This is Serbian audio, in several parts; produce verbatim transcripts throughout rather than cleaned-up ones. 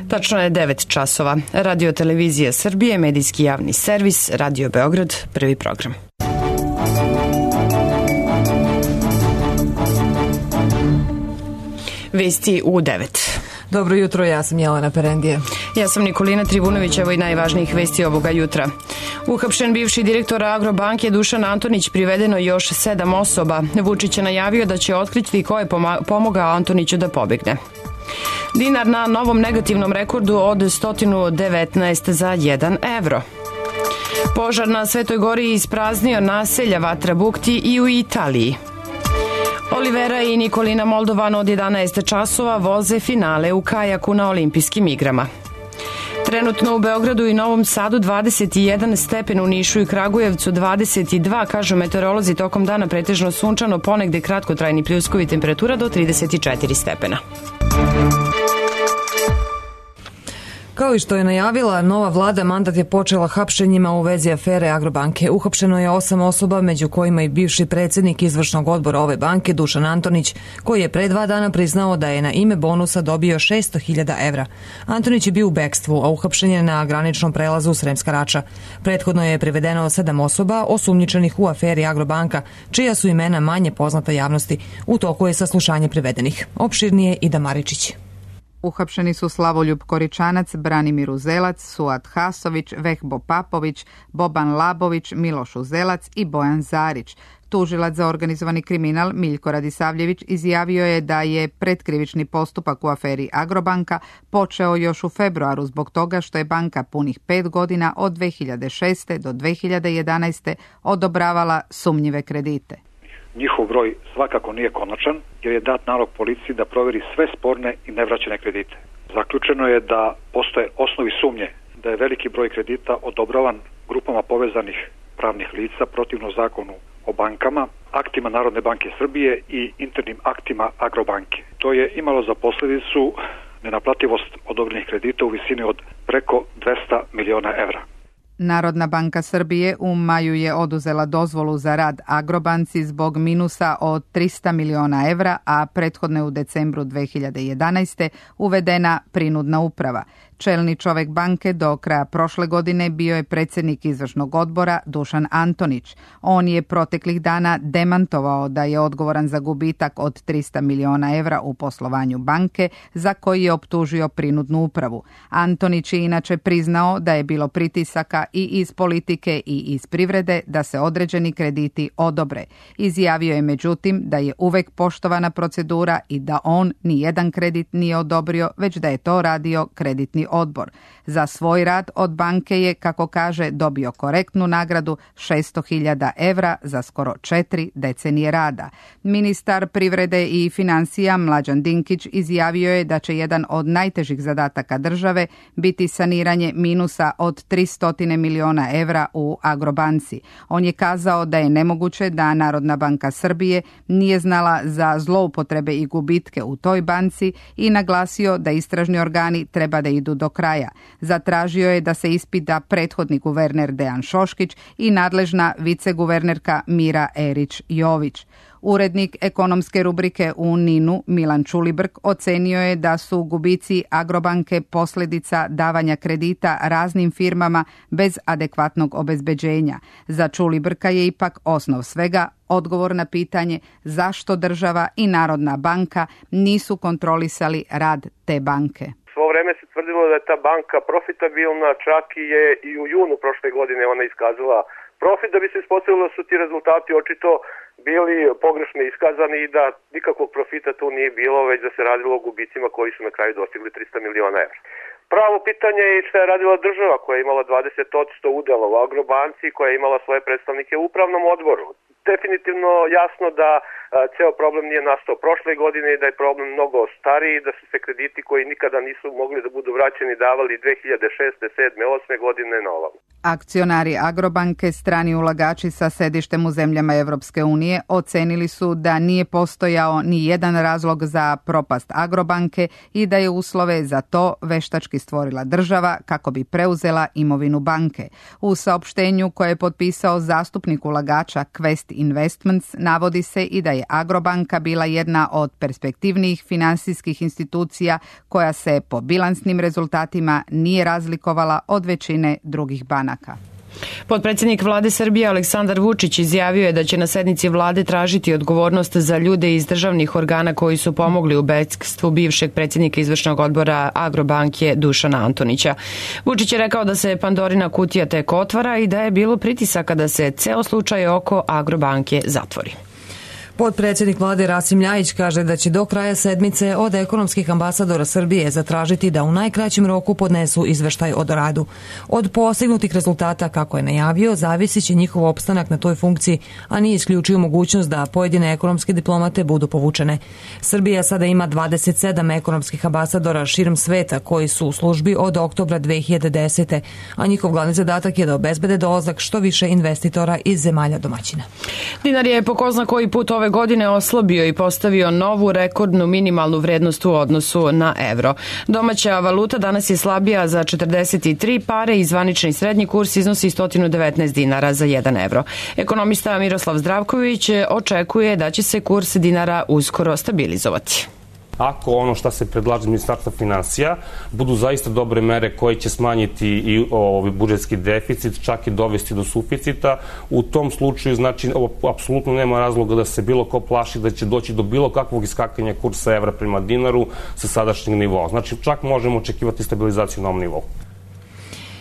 Tačno je devet časova. Radio Televizija Srbije, medijski javni servis, Radio Beograd, prvi program. Vesti u devet. Dobro jutro, ja sam Jelena Perendije. Ja sam Nikolina Trivunović, evo i najvažnijih vesti ovoga jutra. Uhapšen bivši direktor Agrobanke Dušan Antonić, privedeno još sedam osoba. Vučić je najavio da će otkriti ko je pomogao Antoniću da pobegne. Dinar na novom negativnom rekordu od sto devetnaest za jedan evro. Požar na Svetoj Gori ispraznio naselja Vatra Bukti i u Italiji. Olivera i Nikolina Moldovan od jedanaest časova voze finale u kajaku na olimpijskim igrama. Trenutno u Beogradu i Novom Sadu dvadeset jedan stepen, u Nišu i Kragujevcu dvadeset dva, kažu meteorolozi, tokom dana pretežno sunčano, ponegde kratkotrajni pljuskovi, temperatura do trideset četiri stepena. Kao i što je najavila, nova vlada mandat je počela hapšenjima u vezi afere Agrobanke. Uhapšeno je osam osoba, među kojima i bivši predsjednik izvršnog odbora ove banke Dušan Antonić, koji je pre dva dana priznao da je na ime bonusa dobio šesto hiljada evra. Antonić je bio u bekstvu, a uhapšen je na graničnom prelazu Sremska Rača. Prethodno je privedeno sedam osoba osumnjičenih u aferi Agrobanka, čija su imena manje poznata javnosti. U toku je saslušanje privedenih. Opširnije Ida Maričić. Uhapšeni su Slavoljub Koričanac, Branimir Uzelac, Suad Hasović, Vehbo Papović, Boban Labović, Miloš Uzelac i Bojan Zarić. Tužilac za organizovani kriminal Miljko Radisavljević izjavio je da je pretkrivični postupak u aferi Agrobanka počeo još u februaru zbog toga što je banka punih pet godina od dve hiljade šeste do dve hiljade jedanaeste odobravala sumnjive kredite. Njihov broj svakako nije konačan, jer je dat nalog policiji da proveri sve sporne i nevraćene kredite. Zaključeno je da postoje osnovi sumnje da je veliki broj kredita odobravan grupama povezanih pravnih lica protivno zakonu o bankama, aktima Narodne banke Srbije i internim aktima Agrobanke. To je imalo za posljedicu nenaplativost odobrenih kredita u visini od preko dvesta miliona evra. Narodna banka Srbije u maju je oduzela dozvolu za rad Agrobanci zbog minusa od trista miliona evra, a prethodno je u decembru dve hiljade jedanaeste uvedena prinudna uprava. Čelni čovek banke do kraja prošle godine bio je predsjednik izvršnog odbora Dušan Antonić. On je proteklih dana demantovao da je odgovoran za gubitak od trista miliona evra u poslovanju banke, za koji je optužio prinudnu upravu. Antonić je inače priznao da je bilo pritisaka i iz politike i iz privrede da se određeni krediti odobre. Izjavio je međutim da je uvek poštovana procedura i da on ni jedan kredit nije odobrio, već da je to radio kreditni odbor. Za svoj rad od banke je, kako kaže, dobio korektnu nagradu šesto hiljada evra za skoro četiri decenije rada. Ministar privrede i financija Mlađan Dinkić izjavio je da će jedan od najtežih zadataka države biti saniranje minusa od tristo miliona evra u Agrobanci. On je kazao da je nemoguće da Narodna banka Srbije nije znala za zloupotrebe i gubitke u toj banci i naglasio da istražni organi treba da idu do kraja. Zatražio je da se ispita prethodni guverner Dejan Šoškić i nadležna viceguvernerka Mira Erić-Jović. Urednik ekonomske rubrike u Ninu Milan Čulibrk ocenio je da su gubici Agrobanke posljedica davanja kredita raznim firmama bez adekvatnog obezbeđenja. Za Čulibrka je ipak osnov svega odgovor na pitanje zašto država i Narodna banka nisu kontrolisali rad te banke. Svo vreme se tvrdilo da je ta banka profitabilna, čak i je i u junu prošle godine ona iskazala profit, da bi se ispostavilo da su ti rezultati očito bili pogrešno iskazani i da nikakvog profita tu nije bilo, već da se radilo o gubicima koji su na kraju dostigli trista miliona evra. Pravo pitanje je šta je radila država koja je imala dvadeset posto udela u Agrobanci, koja je imala svoje predstavnike u upravnom odboru. Definitivno jasno da a, ceo problem nije nastao prošle godine i da je problem mnogo stariji, da su se krediti koji nikada nisu mogli da budu vraćeni davali dve hiljade šeste, sedme, osme godine na ovom. Akcionari Agrobanke, strani ulagači sa sedištem u zemljama Evropske unije, ocenili su da nije postojao ni jedan razlog za propast Agrobanke i da je uslove za to veštački stvorila država kako bi preuzela imovinu banke. U saopštenju koje je potpisao zastupnik ulagača Kvesti Trust Investments navodi se i da je Agrobanka bila jedna od perspektivnijih finansijskih institucija koja se po bilansnim rezultatima nije razlikovala od većine drugih banaka. Potpredsjednik vlade Srbije Aleksandar Vučić izjavio je da će na sednici vlade tražiti odgovornost za ljude iz državnih organa koji su pomogli u bekstvu bivšeg predsjednika izvršnog odbora Agrobanke Dušana Antonića. Vučić je rekao da se Pandorina kutija tek otvara i da je bilo pritisaka da se ceo slučaj oko Agrobanke zatvori. Potpredsjednik vlade Rasim Ljajić kaže da će do kraja sedmice od ekonomskih ambasadora Srbije zatražiti da u najkraćem roku podnesu izveštaj o radu. Od postignutih rezultata, kako je najavio, zavisit će njihov opstanak na toj funkciji, a nije isključio mogućnost da pojedine ekonomske diplomate budu povučene. Srbija sada ima dvadeset sedam ekonomskih ambasadora širom sveta koji su u službi od oktobra dve hiljade desete. a njihov glavni zadatak je da obezbede dolazak što više investitora iz zemalja domaćina. Dinar je po ko zna koji put ove godine oslabio i postavio novu rekordnu minimalnu vrednost u odnosu na evro. Domaća valuta danas je slabija za četrdeset tri pare i zvanični srednji kurs iznosi sto devetnaest dinara za jedan evro. Ekonomista Miroslav Zdravković očekuje da će se kurs dinara uskoro stabilizovati. Ako ono što se predlaže iz Ministarstva finansija budu zaista dobre mere koje će smanjiti i ovaj budžetski deficit, čak i dovesti do suficita, u tom slučaju znači apsolutno nema razloga da se bilo ko plaši da će doći do bilo kakvog iskakanja kursa evra prema dinaru sa sadašnjeg nivoa. Znači čak možemo očekivati stabilizaciju na ovom nivou.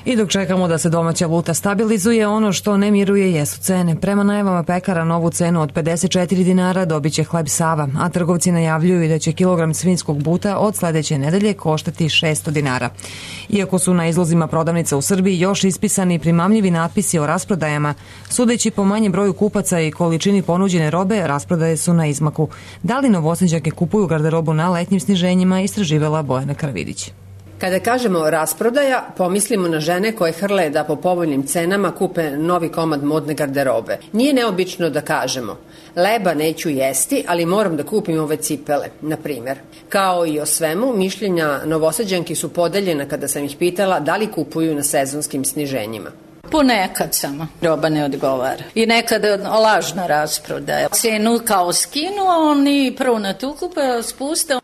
I dok čekamo da se domaća valuta stabilizuje, ono što ne miruje jesu cene. Prema najavama pekara novu cenu od pedeset četiri dinara dobit će hleb Sava, a trgovci najavljuju i da će kilogram svinjskog buta od sledeće nedelje koštati šesto dinara. Iako su na izlozima prodavnica u Srbiji još ispisani primamljivi natpisi o rasprodajama, sudeći po manjem broju kupaca i količini ponuđene robe, rasprodaje su na izmaku. Da li Novosađanke kupuju garderobu na letnjim sniženjima, istraživala Bojana Karavidić. Kada kažemo rasprodaja, pomislimo na žene koje hrle da po povoljnim cenama kupe novi komad modne garderobe. Nije neobično da kažemo, leba neću jesti, ali moram da kupim ove cipele, na primjer. Kao i o svemu, mišljenja Novosađanki su podeljena kada sam ih pitala da li kupuju na sezonskim sniženjima. Ponekad samo roba ne odgovara. I nekada lažna rasprodaja. Cenu kao skinu, a oni prvo na tu kupe, spuste.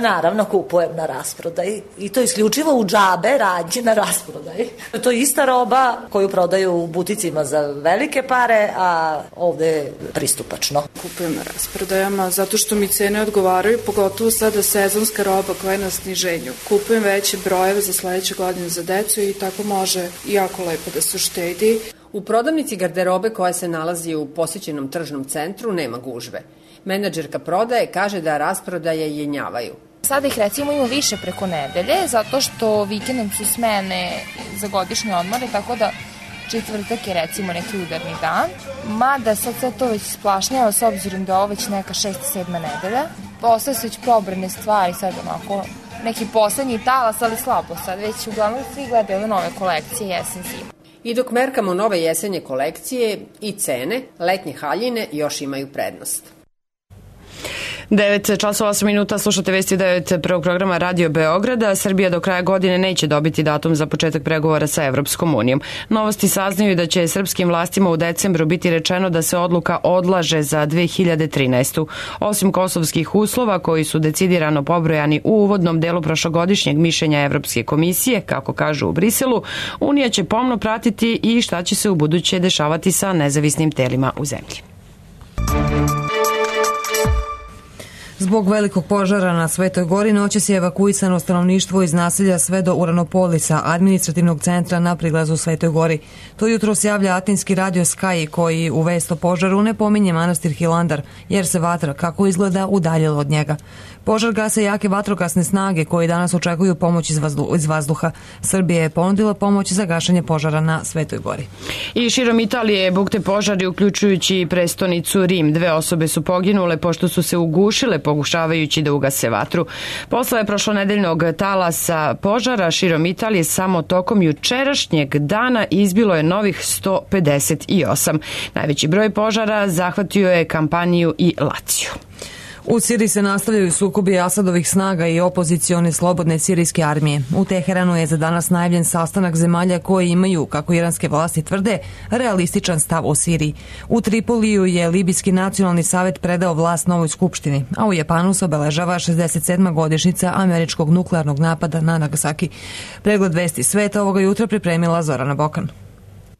Naravno kupujem na rasprodaji i to isključivo u džabe rađe na rasprodaji. To je ista roba koju prodaju u buticima za velike pare, a ovde je pristupačno. Kupujem na rasprodajama zato što mi cene odgovaraju, pogotovo sada sezonska roba koja je na sniženju. Kupujem veće brojeve za sledeće godine za decu i tako može jako lepo da se uštedi. U prodavnici garderobe koja se nalazi u posjećenom tržnom centru nema gužve. Menadžerka prodaje kaže da rasprodaje jenjavaju. Sada ih recimo ima više preko nedelje, zato što vikendom su smene za godišnje odmore, tako da četvrtak je recimo neki udarni dan. Mada sad sve to već splašnjava s obzirom da je ovo već neka šesta, sedma nedelja. Ostaje su već probrane stvari, sad onako neki poslednji talas, ali slabo sad. Već uglavnom svi gledaju ove nove kolekcije jesen zima. I dok merkamo nove jesenje kolekcije i cene, letnje haljine još imaju prednost. devet časova osam minuta, slušate vesti devet prvog programa Radio Beograda. Srbija do kraja godine neće dobiti datum za početak pregovora sa Evropskom unijom. Novosti saznaju da će srpskim vlastima u decembru biti rečeno da se odluka odlaže za dve hiljade trinaestu. Osim kosovskih uslova koji su decidirano pobrojani u uvodnom delu prošlogodišnjeg mišljenja Evropske komisije, kako kažu u Briselu, Unija će pomno pratiti i šta će se u buduće dešavati sa nezavisnim telima u zemlji. Zbog velikog požara na Svetoj Gori noćas je evakuisano stanovništvo iz naselja sve do Uranopolisa, administrativnog centra na prilazu Svetoj Gori. To jutro se javlja atinski radio Sky koji u vest o požaru ne pominje manastir Hilandar, jer se vatra, kako izgleda, udaljila od njega. Požar gase jake vatrogasne snage koji danas očekuju pomoć iz, vazdu, iz vazduha. Srbija je ponudila pomoć za gašenje požara na Svetoj Gori. I širom Italije bukte požari, uključujući prestonicu Rim. Dve osobe su poginule pošto su se ugušile pokušavajući da ugase vatru. Posle prošlonedeljnog talasa požara širom Italije samo tokom jučerašnjeg dana izbilo je novih sto pedeset osam. Najveći broj požara zahvatio je Kampaniju i Laciju. U Siriji se nastavljaju sukobi Asadovih snaga i opozicione slobodne sirijske armije. U Teheranu je za danas najavljen sastanak zemalja koji imaju, kako iranske vlasti tvrde, realističan stav o Siriji. U Tripoliju je Libijski nacionalni savjet predao vlast novoj skupštini, a u Japanu se obeležava šezdeset sedma godišnjica američkog nuklearnog napada na Nagasaki. Pregled vesti sveta ovoga jutra pripremila Zorana Bokan.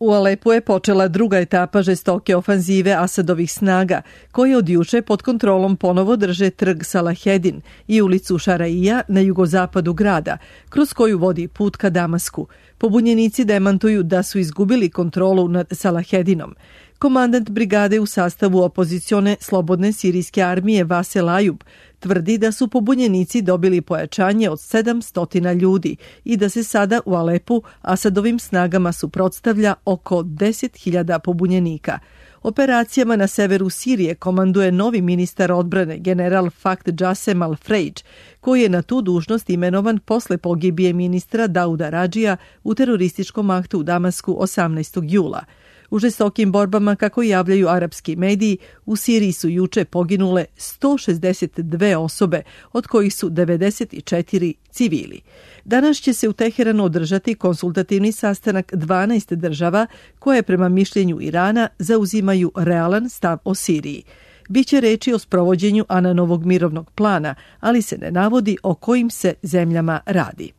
U Alepu je počela druga etapa žestoke ofanzive Asadovih snaga, koje od juče pod kontrolom ponovo drže trg Salahedin i ulicu Šaraija na jugozapadu grada, kroz koju vodi put ka Damasku. Pobunjenici demantuju da su izgubili kontrolu nad Salahedinom. Komandant brigade u sastavu opozicione slobodne sirijske armije Vasel Ajub tvrdi da su pobunjenici dobili pojačanje od sedamsto ljudi i da se sada u Alepu Asadovim snagama suprotstavlja oko deset hiljada pobunjenika. Operacijama na severu Sirije komanduje novi ministar odbrane general Fakt Jasem Al-Frejdž, koji je na tu dužnost imenovan posle pogibije ministra Dauda Radžija u terorističkom aktu u Damasku osamnaestog jula. U žestokim borbama, kako javljaju arapski mediji, u Siriji su juče poginule sto šezdeset dve osobe, od kojih su devedeset četiri civili. Danas će se u Teheranu održati konsultativni sastanak dvanaest država koje prema mišljenju Irana zauzimaju realan stav o Siriji. Biće reči o sprovođenju Ananovog mirovnog plana, ali se ne navodi o kojim se zemljama radi.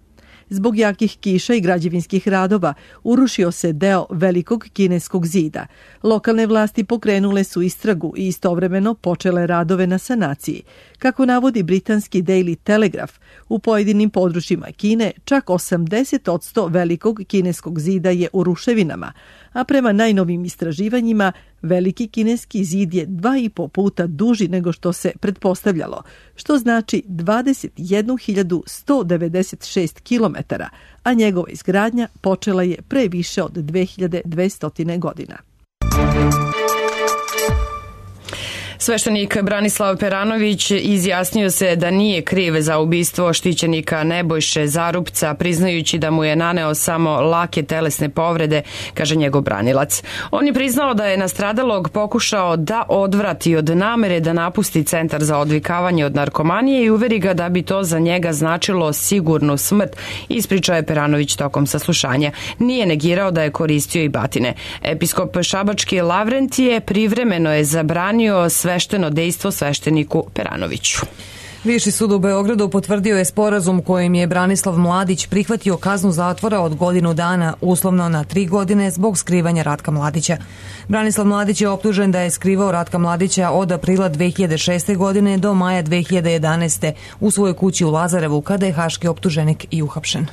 Zbog jakih kiša i građevinskih radova urušio se deo velikog kineskog zida. Lokalne vlasti pokrenule su istragu i istovremeno počele radove na sanaciji. Kako navodi britanski Daily Telegraph, u pojedinim područjima Kine čak osamdeset posto velikog kineskog zida je u ruševinama, a prema najnovim istraživanjima veliki kineski zid je dva i po puta duži nego što se pretpostavljalo, što znači dvadeset jednu hiljadu sto devedeset šest kilometara, a njegova izgradnja počela je pre više od dve hiljade dvesta godina. Sveštenik Branislav Peranović izjasnio se da nije kriv za ubistvo štićenika Nebojše Zarupca, priznajući da mu je naneo samo lake telesne povrede, kaže njegov branilac. On je priznao da je nastradalog pokušao da odvrati od namere da napusti centar za odvikavanje od narkomanije i uveri ga da bi to za njega značilo sigurnu smrt, ispričao je Peranović tokom saslušanja. Nije negirao da je koristio i batine. Episkop Šabački Lavrentije privremeno je zabranio sve svešteno dejstvo svešteniku Peranoviću. Viši sud u Beogradu potvrdio je sporazum kojim je Branislav Mladić prihvatio kaznu zatvora od godinu dana, uslovno na tri godine, zbog skrivanja Ratka Mladića. Branislav Mladić je optužen da je skrivao Ratka Mladića od aprila dve hiljade šeste. godine do maja dve hiljade jedanaeste. u svojoj kući u Lazarevu, kada je haški optuženik i uhapšen.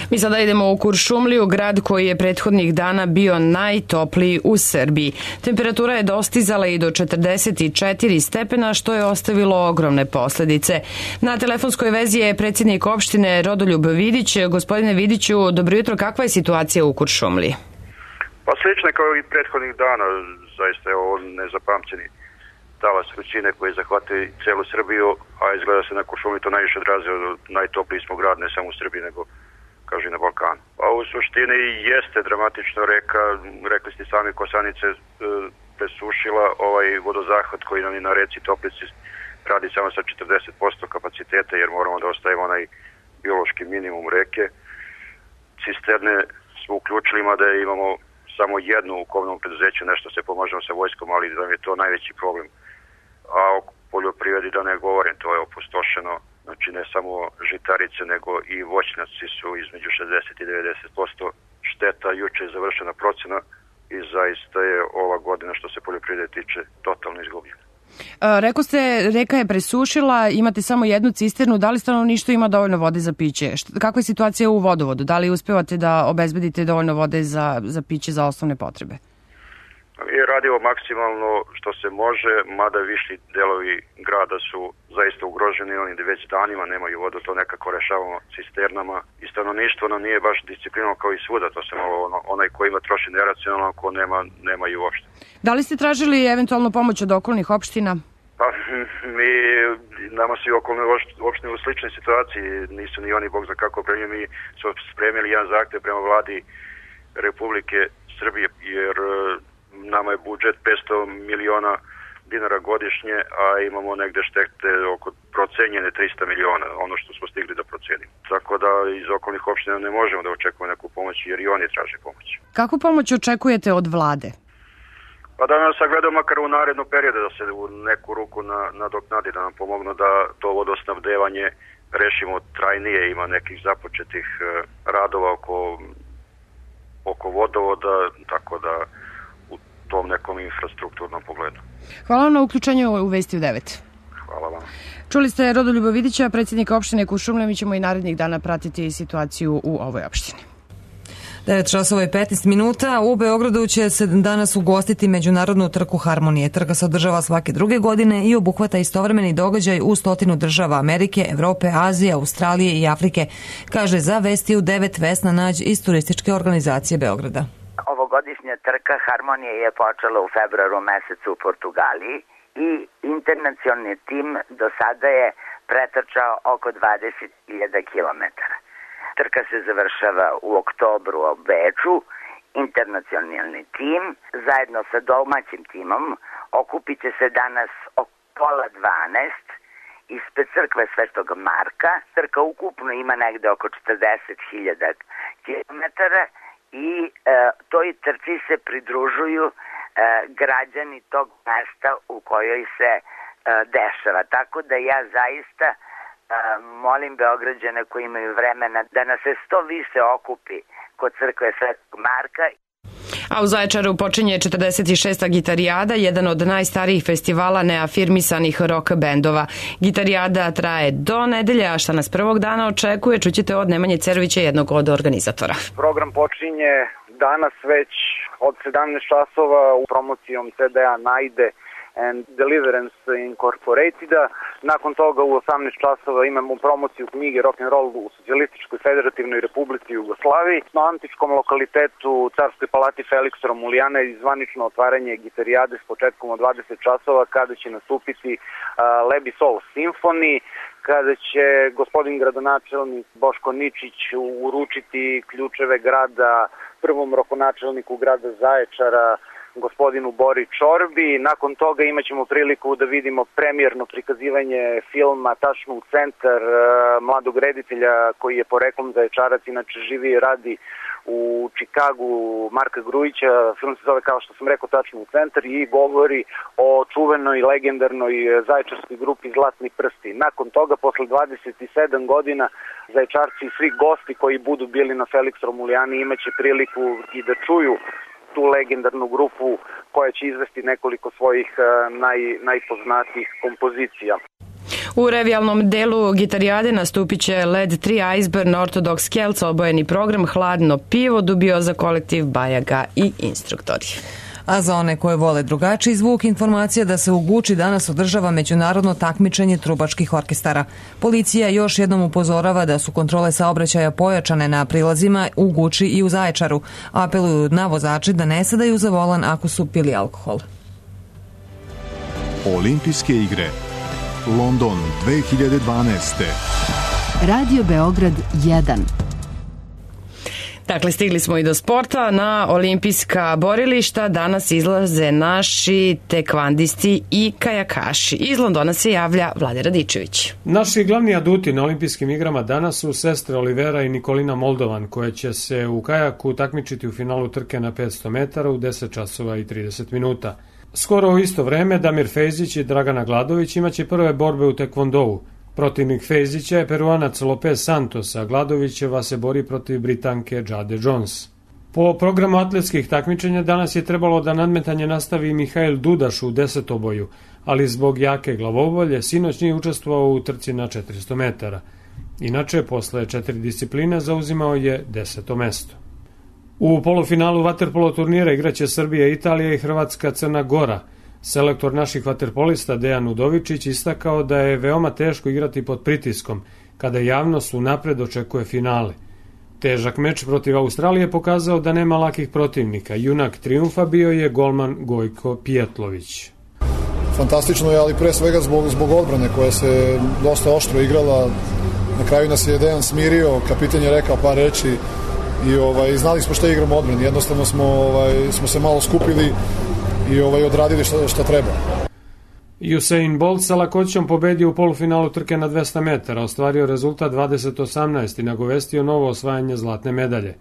Mi sada idemo u Kuršumliju, grad koji je prethodnih dana bio najtopliji u Srbiji. Temperatura je dostizala i do četrdeset četiri stepena, što je ostavilo ogromne posledice. Na telefonskoj vezi je predsjednik opštine Rodoljub Vidić. Gospodine Vidiću, dobro jutro, kakva je situacija u Kuršumliji? Pa slično kao i prethodnih dana, zaista je ovo nezapamćeni talas vrućine koji zahvataju celu Srbiju, a izgleda se na Kuršumliji to najviše odrazio, najtopliji smo grad ne samo u Srbiji nego kaže i na Balkanu. A u suštini jeste dramatično reka, rekli ste sami, Kosanice presušila ovaj vodozahvat koji nam je na reci Toplici radi samo sa četrdeset posto kapaciteta jer moramo da ostavimo onaj biološki minimum reke. Cisterne smo uključili, mada imamo samo jednu u komunalnom preduzeću, nešto se pomažemo sa vojskom, ali da je to najveći problem. A o poljoprivredi da ne govorim, to je opustošeno. Znači ne samo žitarice, nego i voćnjaci su između šezdeset i devedeset posto šteta. Juče je završena procena i zaista je ova godina što se poljoprivrede tiče totalno izgubljena. Rekao ste, reka je presušila, imate samo jednu cisternu, da li stanovništvo ima dovoljno vode za piće? Kakva je situacija u vodovodu? Da li uspevate da obezbedite dovoljno vode za, za piće, za osnovne potrebe? Mi radimo maksimalno što se može, mada višli delovi grada su zaista ugroženi, oni već danima nemaju vodu, to nekako rešavamo cisternama i stanovništvo nam nije baš disciplinovano kao i svuda, to se malo ono, onaj ko ima troši neracionalno, ko nema, nema i uopšte. Da li ste tražili eventualno pomoć od okolnih opština? Pa mi, nama su i okolne opštine u sličnoj situaciji, nisu ni oni bog za kako opremljeni, mi smo spremili jedan zahtev prema vladi Republike Srbije, jer nama je budžet petsto miliona dinara godišnje, a imamo negde štete oko procenjene trista miliona, ono što smo stigli da procenimo. Tako da iz okolnih opština ne možemo da očekujemo neku pomoć, jer i oni traže pomoć. Kakvu pomoć očekujete od vlade? Pa da nas sagledamo makar u narednom periodu, da se u neku ruku na, nadoknadi, da nam pomognu da to vodosnabdevanje rešimo trajnije. Ima nekih započetih radova oko, oko vodovoda, tako da u tom nekom infrastrukturnom pogledu. Hvala vam na uključenju u Vesti u devet. Hvala vam. Čuli ste Rodoljuba Vidića, predsjednika opštine Kuršumlija. Mi ćemo i narednih dana pratiti situaciju u ovoj opštini. devet časova i petnaest minuta. U Beogradu će se danas ugostiti međunarodnu trku Harmonije. Trka se održava svake druge godine i obuhvata istovremeni događaj u stotinu država Amerike, Evrope, Azije, Australije i Afrike, kaže za Vesti u devet Vesna Nađ iz turističke organizacije Beograda. Ovogodišnja trka Harmonije je počela u februaru mesecu u Portugaliji i internacionalni tim do sada je pretrčao oko dvadeset hiljada kilometara. Trka se završava u oktobru u Beču. Internacionalni tim zajedno sa domaćim timom okupit će se danas oko pola dvanaest ispred crkve Svetog Marka. Trka ukupno ima negde oko četrdeset hiljada kilometara i e, toj trci se pridružuju e, građani tog mesta u kojoj se e, dešava. Tako da ja zaista molim Beograđane koji imaju vremena da nas se što više okupi kod crkve Svetog Marka. A u Zaječaru počinje četrdeset šesta Gitarijada, jedan od najstarijih festivala neafirmisanih rock bendova. Gitarijada traje do nedelje, a šta nas prvog dana očekuje, čućete od Nemanje Cerovića, jednog od organizatora. Program počinje danas već od sedamnaest časova u promocijom C D-a Najde and Deliverance Incorporateda. Nakon toga u osamnaest časova imamo promociju knjige Rock and Roll u Socijalističkoj Federativnoj Republici Jugoslaviji. Na antičkom lokalitetu Carskoj palati Feliks Romulijana je zvanično otvaranje Gitarijade s početkom od dvadeset časova kada će nastupiti uh, Lebi Soul Symphony, kada će gospodin gradonačelnik Boško Ničić uručiti ključeve grada prvom rokonačelniku grada Zaječara, gospodinu Bori Čorbi. Nakon toga imat ćemo priliku da vidimo premijerno prikazivanje filma Tačno u centar mladog reditelja koji je poreklom Zaječarac, inače živi i radi u Čikagu, Marka Grujića. Film se zove, kao što sam rekao, Tačno u centar i govori o čuvenoj legendarnoj zaječarskoj grupi Zlatni prsti. Nakon toga, posle dvadeset sedam godina, Zaječarci i svi gosti koji budu bili na Feliks Romulijani imaće priliku i da čuju tu legendarnu grupu koja će izvesti nekoliko svojih naj, najpoznatijih kompozicija. U revijalnom delu Gitarijade nastupit će Led tri, Iceburn, Ortodox Kelts, obojeni program, Hladno pivo, Dubioza kolektiv, Bajaga i instruktori. A za one koje vole drugačiji zvuk, informacija da se u Guči danas održava međunarodno takmičenje trubačkih orkestara. Policija još jednom upozorava da su kontrole saobraćaja pojačane na prilazima u Guči i u Zaječaru. Apeluju na vozače da ne sedaju za volan ako su pili alkohol. Olimpijske igre London dve hiljade dvanaeste. Radio Beograd jedan. Dakle, stigli smo i do sporta. Na olimpijska borilišta danas izlaze naši tekvandisti i kajakaši. Iz Londona se javlja Vlade Radičević. Naši glavni aduti na olimpijskim igrama danas su sestre Olivera i Nikolina Moldovan, koje će se u kajaku takmičiti u finalu trke na petsto metara u deset časova i trideset minuta. Skoro u isto vreme Damir Fejzić i Dragana Gladović imaće prve borbe u tekvondou. Protivnik Fejzića je Peruanac Lopez Santos, a Gladovićeva se bori protiv Britanke Jade Jones. Po programu atletskih takmičenja danas je trebalo da nadmetanje nastavi Mihail Dudaš u desetoboju, ali zbog jake glavobolje sinoć nije učestvovao u trci na četiristo metara. Inače, posle četiri discipline zauzimao je deseto mesto. U polufinalu vaterpolo turnira igraće Srbija, Italija i Hrvatska Crna Gora. Selektor naših vaterpolista Dejan Udovičić istakao da je veoma teško igrati pod pritiskom, kada javnost unapred očekuje finale. Težak meč protiv Australije pokazao da nema lakih protivnika. Junak trijumfa bio je golman Gojko Pijetlović. Fantastično je, ali pre svega zbog, zbog odbrane koja se dosta oštro igrala. Na kraju nas je Dejan smirio, kapitan je rekao par reči i ovaj, znali smo šta igramo odbrani. Jednostavno smo, ovaj, smo se malo skupili i ovaj, odradili šta, šta treba. Usain Bolt sa lakoćom pobedio u polufinalu trke na dvesta metara, ostvario rezultat dvadeset osamnaest i nagovestio novo osvajanje zlatne medalje.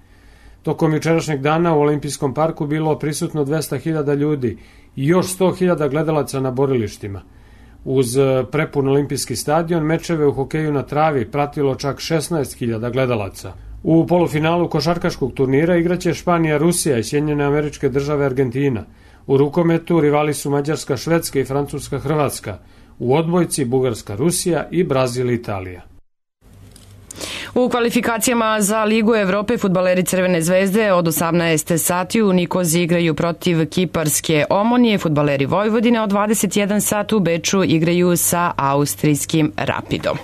Tokom jučerašnjeg dana u Olimpijskom parku bilo prisutno dvesta hiljada ljudi i još sto hiljada gledalaca na borilištima. Uz prepun olimpijski stadion, mečeve u hokeju na travi pratilo čak šesnaest hiljada gledalaca. U polufinalu košarkaškog turnira igraće Španija, Rusija i Sjedinjene Američke Države, Argentina. U rukometu rivali su Mađarska, Švedska i Francuska, Hrvatska. U odbojci Bugarska, Rusija i Brazil, Italija. U kvalifikacijama za Ligu Evrope fudbaleri Crvene zvezde od osamnaest sati u Nikozi igraju protiv kiparske Omonije, fudbaleri Vojvodine od dvadeset jedan sat u Beču igraju sa austrijskim Rapidom.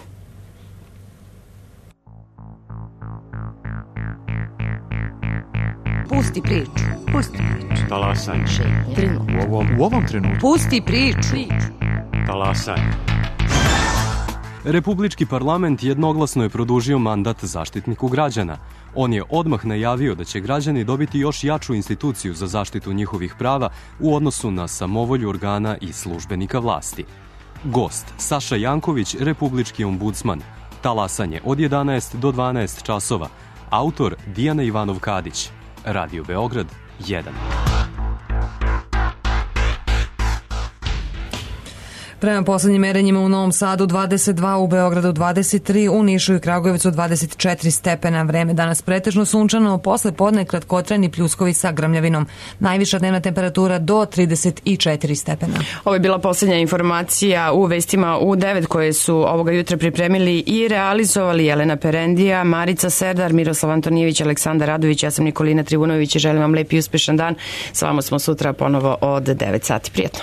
Pusti priču. Pusti priču. Talasanje. Trenutno. U ovom, u ovom trenutku. Pusti priču. Talasanje. Republički parlament jednoglasno je produžio mandat Zaštitniku građana. On je odmah najavio da će građani dobiti još jaču instituciju za zaštitu njihovih prava u odnosu na samovolju organa i službenika vlasti. Gost Saša Janković, republički ombudsman. Talasanje od jedanaest do dvanaest časova. Autor Dijana Ivanov-Kadić. Radio Beograd jedan. Prema poslednjim merenjima u Novom Sadu dvadeset dva, u Beogradu dvadeset tri, u Nišu i Kragujevcu dvadeset četiri stepena. Vreme danas pretežno sunčano, posle podne kratkotrajni pljuskovi sa grmljavinom. Najviša dnevna temperatura do trideset četiri stepena. Ovo je bila poslednja informacija u vestima u devet koje su ovoga jutra pripremili i realizovali Jelena Perendija, Marica Serdar, Miroslav Antonijević, Aleksandar Radović, ja sam Nikolina Trivunović i želim vam lep i uspešan dan. S vama smo sutra ponovo od devet sati. Prijetno.